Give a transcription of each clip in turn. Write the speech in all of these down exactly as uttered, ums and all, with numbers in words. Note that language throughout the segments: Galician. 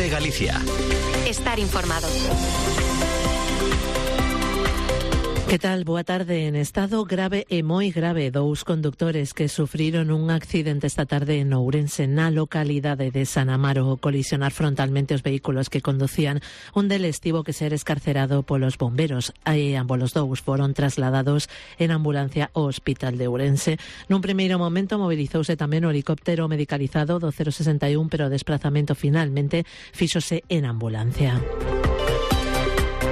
COPE Galicia. Estar informado. Que tal? Boa tarde. En estado grave e moi grave, dous condutores que sufriron un accidente esta tarde en Ourense, na localidade de San Amaro, ao colisionar frontalmente os vehículos que conducían. Un deles tivo que ser escarcerado polos bomberos e ambos os dous foron trasladados en ambulancia ao hospital de Ourense. Nun primeiro momento mobilizouse tamén o helicóptero medicalizado do cero sesenta e un, pero o desplazamento finalmente fíxose en ambulancia.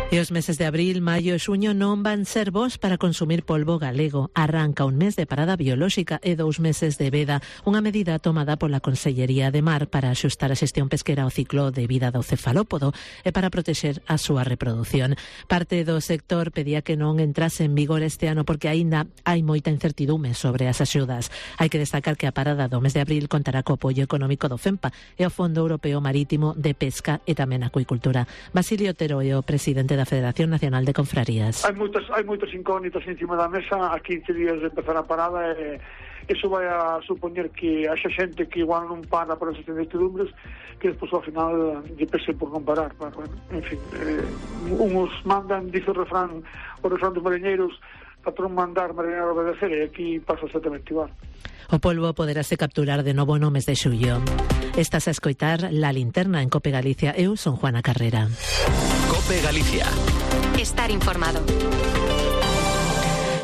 E os meses de abril, maio e xuño non van ser bons para consumir polvo galego. Arranca un mes de parada biolóxica e dous meses de veda, unha medida tomada pola Consellería de Mar para axustar a xestión pesquera ao ciclo de vida do cefalópodo e para protexer a súa reproducción. Parte do sector pedía que non entrase en vigor este ano porque aínda hai moita incertidume sobre as axudas. Hai que destacar que a parada do mes de abril contará co apoio económico do FEMPA e o Fondo Europeo Marítimo de Pesca e tamén Acuicultura. Basilio Otero é o presidente da Federación Nacional de Confrarías. Hai moitas, hai moitas incógnitas encima da mesa a quince días de empezar a parada e iso vai a supoñer que haxa xente que igual non para por esas incertidumbres que despois ao final lle pese por non parar. Bueno, en fin, eh, uns mandan, dice o refrán, o refrán dos mariñeiros, patrón mandar, mariñeiro obedecer, e aquí pasa exactamente igual. O polvo poderase capturar de novo no mes de xullo. Estás a escoitar La Linterna en COPE Galicia. Eu son Juana Carrera. COPE Galicia. Estar informado.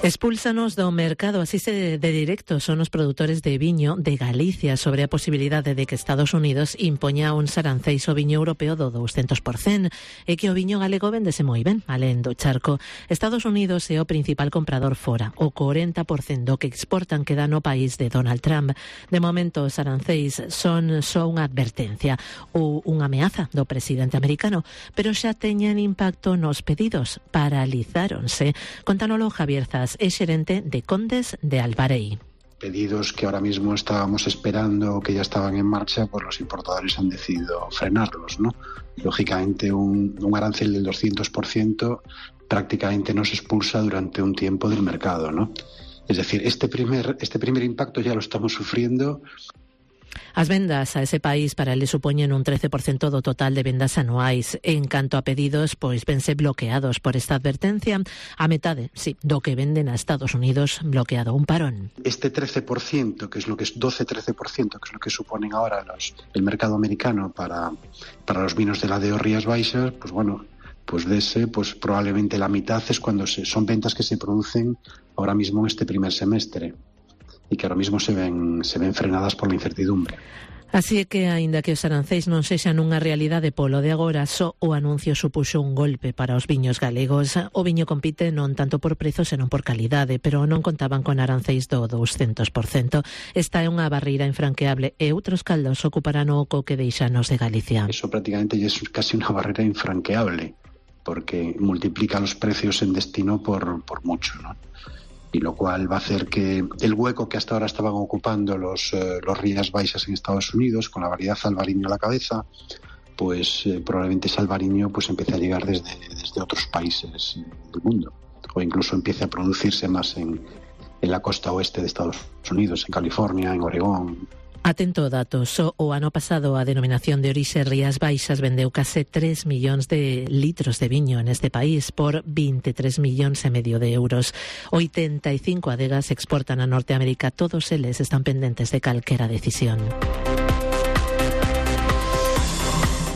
Expúlsanos do mercado, así se de directo son os produtores de viño de Galicia sobre a posibilidade de que Estados Unidos impoña un aranceis ao viño europeo do douscentos por cento e que o viño galego vendese moi ben, alén do charco. Estados Unidos é o principal comprador fora, o corenta por cento do que exportan queda no país de Donald Trump. De momento, os aranceis son só unha advertencia ou unha ameaza do presidente americano, pero xa teñen impacto nos pedidos, paralizáronse. Contanolo Javier Zas, é xerente de Condes de Albarei. Pedidos que ahora mismo estábamos esperando, que ya estaban en marcha, pues los importadores han decidido frenarlos, ¿no? Lógicamente un, un arancel del doscientos por ciento prácticamente nos expulsa durante un tiempo del mercado, ¿no? Es decir, este primer, este primer impacto ya lo estamos sufriendo. As vendas a ese país para ele supoñen un trece por cento do total de vendas anuais. En canto a pedidos, pois vense bloqueados por esta advertencia. A metade, sí, do que venden a Estados Unidos bloqueado, un parón. Este trece por ciento, que es lo que es doce a trece por ciento, que es lo que suponen ahora los, el mercado americano para, para los vinos de la D O Rías Baixas, pues bueno, pues de ese, pues probablemente la mitad es cuando se, son ventas que se producen ahora mismo en este primer semestre. E que ahora mismo se ven se ven frenadas por la incertidumbre. Así é que, aínda que os aranceis non sexan unha realidade polo de agora, só o anuncio supuxo un golpe para os viños galegos. O viño compite non tanto por prezo, senón por calidade, pero non contaban con aranceis do douscentos por cento. Esta é unha barreira infranqueable e outros caldos ocuparán o oco que deixanos de Galicia. Eso prácticamente ya es casi unha barrera infranqueable, porque multiplica los precios en destino por, por mucho, ¿no? Y lo cual va a hacer que el hueco que hasta ahora estaban ocupando los, eh, los Rías Baixas en Estados Unidos, con la variedad albariño a la cabeza, pues eh, probablemente ese albariño pues empiece a llegar desde, desde otros países del mundo, o incluso empiece a producirse más en, en la costa oeste de Estados Unidos, en California, en Oregón. Atento dato, só o ano pasado a denominación de orixe Rías Baixas vendeu case tres millóns de litros de viño neste país por veintitrés millóns e medio de euros. oitenta e cinco adegas exportan a Norteamérica, todos eles están pendentes de calquera decisión.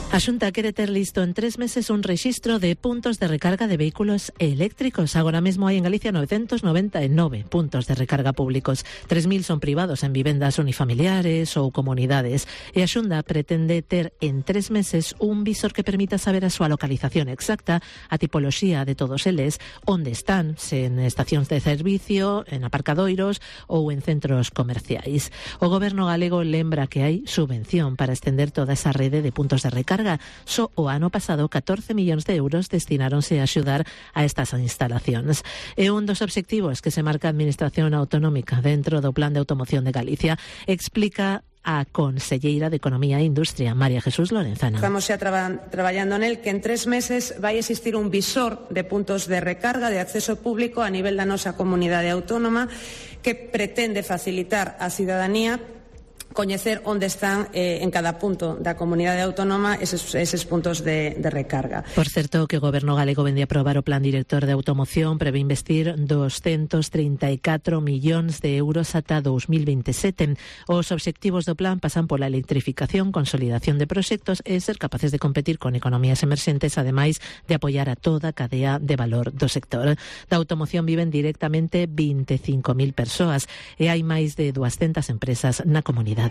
A Xunta quere ter listo en tres meses un rexistro de puntos de recarga de vehículos eléctricos. Agora mesmo hai en Galicia novecentos noventa e nove puntos de recarga públicos. tres mil son privados en vivendas unifamiliares ou comunidades. E a Xunta pretende ter en tres meses un visor que permita saber a súa localización exacta, a tipoloxía de todos eles, onde están, se en estacións de servicio, en aparcadoiros ou en centros comerciais. O Goberno galego lembra que hai subvención para estender toda esa rede de puntos de recarga. Só o ano pasado catorce millóns de euros destináronse a axudar a estas instalacións. E un dos obxectivos que se marca a Administración Autonómica dentro do Plan de Automoción de Galicia explica a conselleira de Economía e Industria, María Jesús Lorenzana. Estamos xa traba, traballando nel que en tres meses vai existir un visor de puntos de recarga de acceso público a nivel da nosa comunidade autónoma que pretende facilitar á cidadanía coñecer onde están eh, en cada punto da comunidade autónoma eses, eses puntos de, de recarga. Por certo, que o Goberno galego vende a aprobar o Plan Director de Automoción, prevé investir doscientos trinta e catro millóns de euros ata dos mil veintisiete. Os obxectivos do plan pasan pola electrificación, consolidación de proxectos e ser capaces de competir con economías emerxentes, ademais de apoiar a toda a cadea de valor do sector. Da automoción viven directamente vinte e cinco mil persoas e hai máis de duascentas empresas na comunidade.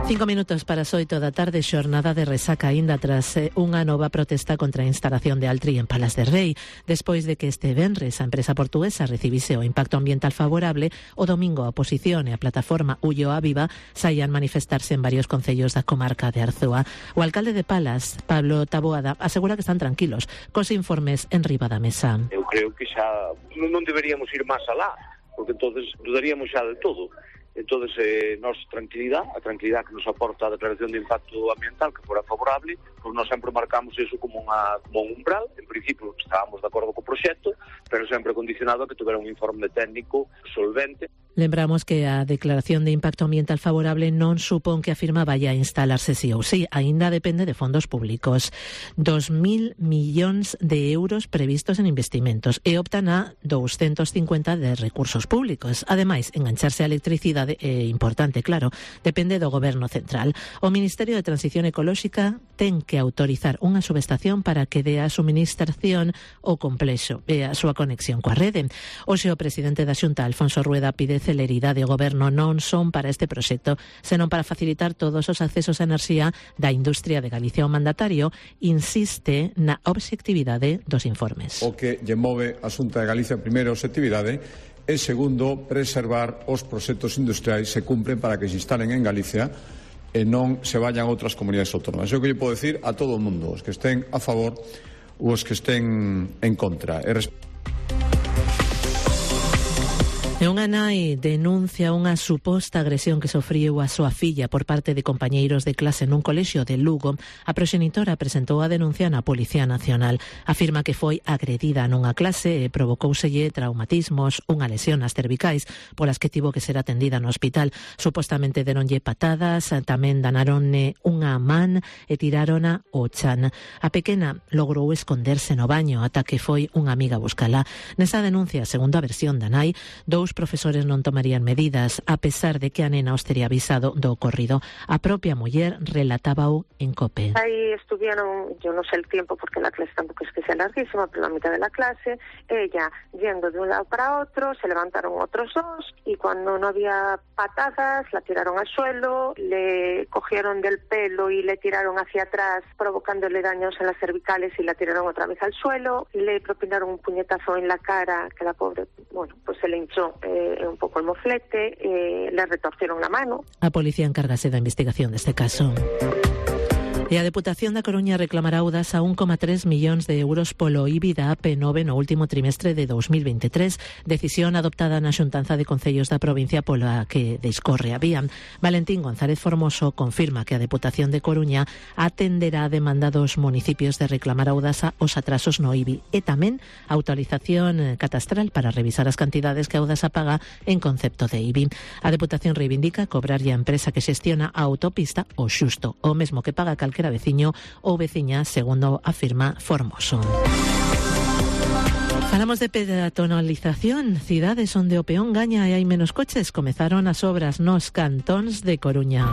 Cinco minutos para as oito da tarde, xornada de resaca aínda tras unha nova protesta contra a instalación de Altri en Palas de Rei. Despois de que este venres a empresa portuguesa recibise o impacto ambiental favorable, o domingo a oposición e a plataforma Ulloa Viva saían manifestarse en varios concellos da comarca de Arzúa. O alcalde de Palas, Pablo Taboada, asegura que están tranquilos cos informes en riba da mesa. Eu creo que xa non deberíamos ir máis alá, porque entonces dudaríamos xa de todo. Entonces, eh, nos tranquilidade, a tranquilidade que nos aporta a declaración de impacto ambiental que fora favorable, pois nós sempre marcamos eso como, unha, como un umbral. En principio estábamos de acordo co proxecto, pero sempre condicionado a que tuvera un informe técnico solvente. Lembramos que a declaración de impacto ambiental favorable non supón que a firma vaya a instalarse sí ou sí, aínda depende de fondos públicos. Dos mil millóns de euros previstos en investimentos e optan a doscientos cincuenta de recursos públicos. Ademais, engancharse a electricidade é importante, claro, depende do Goberno central. O Ministerio de Transición Ecolóxica ten que autorizar unha subestación para que dé a suministración o complexo e a súa conexión coa rede. Hoxe o presidente da Xunta, Alfonso Rueda, pide celeridade ao Goberno non son para este proxecto, senón para facilitar todos os accesos a enerxía da industria de Galicia. O mandatario insiste na obxectividade dos informes. O que lle move a Xunta de Galicia, primeiro, a obxectividade, e segundo, preservar os proxectos industriais se cumpren para que se instalen en Galicia e non se vayan a outras comunidades autónomas. É o que lle podo decir a todo o mundo, os que estén a favor ou os que estén en contra. E E unha nai denuncia unha suposta agresión que sofriu a súa filla por parte de compañeiros de clase nun colexio de Lugo. A proxenitora presentou a denuncia na Policía Nacional. Afirma que foi agredida nunha clase e provocouselle traumatismos, unha lesión nas cervicais, polas que tivo que ser atendida no hospital. Supostamente deronlle patadas, tamén danaronne unha man e tirárona o chan. A pequena logrou esconderse no baño ata que foi unha amiga buscala. Nesa denuncia, segundo a versión da nai, dous profesores non tomarían medidas, a pesar de que a nena os teria avisado do ocorrido. A propia muller relatábao en COPE. Ahí estuvieron, yo no sé el tiempo porque la clase tampoco es que sea larguísima, pero la mitad de la clase, ella yendo de un lado para otro, se levantaron otros dos y cuando no había patadas la tiraron al suelo, le cogieron del pelo y le tiraron hacia atrás provocándole daños en las cervicales y la tiraron otra vez al suelo, le propinaron un puñetazo en la cara que la pobre, bueno, pues se le hinchó Eh, un pouco el moflete, eh, le retorcieron la mano. A policía encárgase da investigación deste caso. E a Deputación da Coruña reclamará ao Audasa un coma tres millóns de euros polo I B I da A P nove no último trimestre de dos mil veintitrés, decisión adoptada na Xuntanza de Concellos da provincia pola que discorre a vía. Valentín González Formoso confirma que a Deputación de Coruña atenderá a demanda dos municipios de reclamar a Audasa os atrasos no I B I e tamén a autorización catastral para revisar as cantidades que a Audasa paga en concepto de I B I. A Deputación reivindica cobrarlle a empresa que xestiona a autopista o xusto, o mesmo que paga calquera veciño ou veciña, segundo afirma Formoso. Falamos de peatonalización. Cidades onde o peón gaña e hai menos coches. Comezaron as obras nos cantóns de Coruña.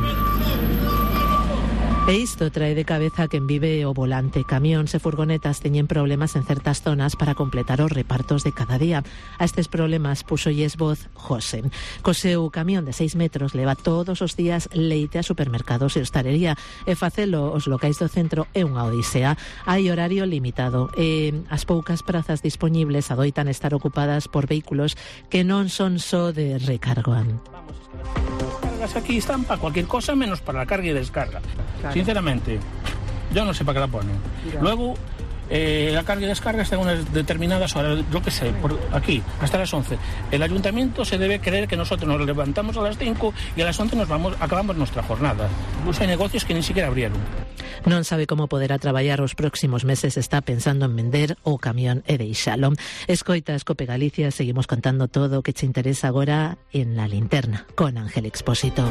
E isto trae de cabeza quen vive o volante. Camións e furgonetas teñen problemas en certas zonas para completar os repartos de cada día. A estes problemas puxolles voz José. Co seu camión de seis metros leva todos os días leite a supermercados e hostalería e facelo os locais do centro é unha odisea. Hai horario limitado e as poucas prazas dispoñibles adoitan estar ocupadas por vehículos que non son só de recarga. Aquí están para cualquier cosa menos para la carga y descarga. Claro. Sinceramente, yo no sé para qué la ponen. Mira. Luego, eh, la carga y descarga está en unas determinadas horas, yo qué sé, por aquí, hasta las once. El ayuntamiento se debe creer que nosotros nos levantamos a las cinco y a las once nos vamos, acabamos nuestra jornada. Incluso hay negocios que ni siquiera abrieron. Non sabe como poderá traballar os próximos meses, está pensando en vender o camión e deixalo. Escoitas Cope Galicia, seguimos contando todo o que che interesa agora en La Linterna, con Ángel Expósito.